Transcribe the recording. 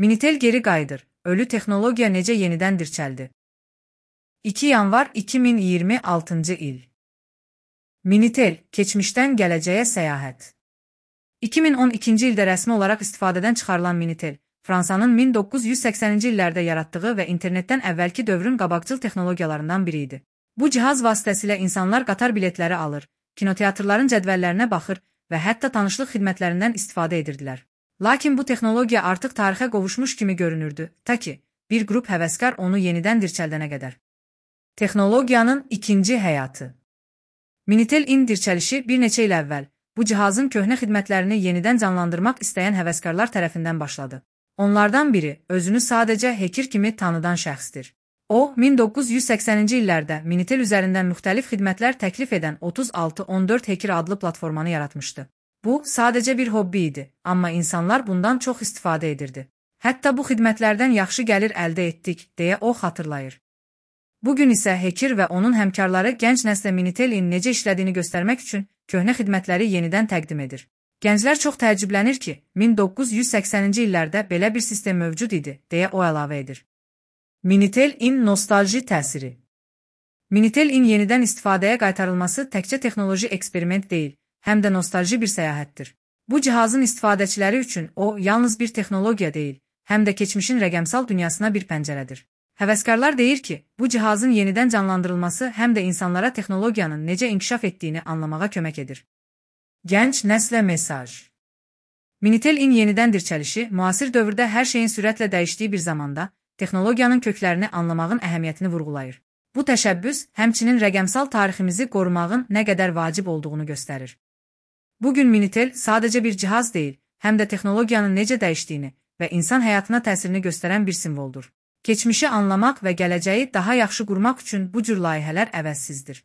Minitel geri qayıdır. Ölü texnologiya necə yenidən dirçəldi? 2 yanvar 2026-cı il. Minitel, keçmişdən gələcəyə səyahət. 2012-ci ildə rəsmi olaraq istifadədən çıxarılan Minitel, Fransanın 1980-ci illərdə yaratdığı və internetdən əvvəlki dövrün qabaqcıl texnologiyalarından biri idi. Bu cihaz vasitəsilə insanlar qatar biletləri alır, kinoteatrların cədvəllərinə baxır və hətta tanışlıq xidmətlərindən istifadə edirdilər. Lakin bu texnologiya artıq tarixə qovuşmuş kimi görünürdü, ta ki, bir qrup həvəskar onu yenidən dirçəldənə qədər. Texnologiyanın ikinci həyatı. Minitel in dirçəlişi bir neçə il əvvəl, bu cihazın köhnə xidmətlərini yenidən canlandırmaq istəyən həvəskarlar tərəfindən başladı. Onlardan biri, özünü sadəcə hacker kimi tanıdan şəxsdir. O, 1980-ci illərdə Minitel üzərindən müxtəlif xidmətlər təklif edən 3614 Hacker adlı platformanı yaratmışdı. Bu, sadəcə bir hobbi idi, amma insanlar bundan çox istifadə edirdi. Hətta bu xidmətlərdən yaxşı gəlir əldə etdik, deyə o xatırlayır. Bugün isə hacker və onun həmkarları gənc nəslə Minitel-in necə işlədiyini göstərmək üçün köhnə xidmətləri yenidən təqdim edir. Gənclər çox təəccüblənir ki, 1980-ci illərdə belə bir sistem mövcud idi, deyə o əlavə edir. Minitel-in nostalji təsiri. Minitel-in yenidən istifadəyə qaytarılması təkcə texnoloji eksperiment deyil, həm də nostalji bir səyahətdir. Bu cihazın istifadəçiləri üçün o, yalnız bir texnologiya deyil, həm də keçmişin rəqəmsal dünyasına bir pəncərədir. Həvəskarlar deyir ki, bu cihazın yenidən canlandırılması həm də insanlara texnologiyanın necə inkişaf etdiyini anlamağa kömək edir. Gənc nəslə mesaj. Minitel-in yenidən dirçəlişi, müasir dövrdə hər şeyin sürətlə dəyişdiyi bir zamanda, texnologiyanın köklərini anlamağın əhəmiyyətini vurğulayır. Bu təşəbbüs, həmçinin rəqəmsal tariximizi qorumağın nə qədər vacib olduğunu göstərir. Bugün Minitel sadəcə bir cihaz deyil, həm də texnologiyanın necə dəyişdiyini və insan həyatına təsirini göstərən bir simvoldur. Keçmişi anlamaq və gələcəyi daha yaxşı qurmaq üçün bu cür layihələr əvəzsizdir.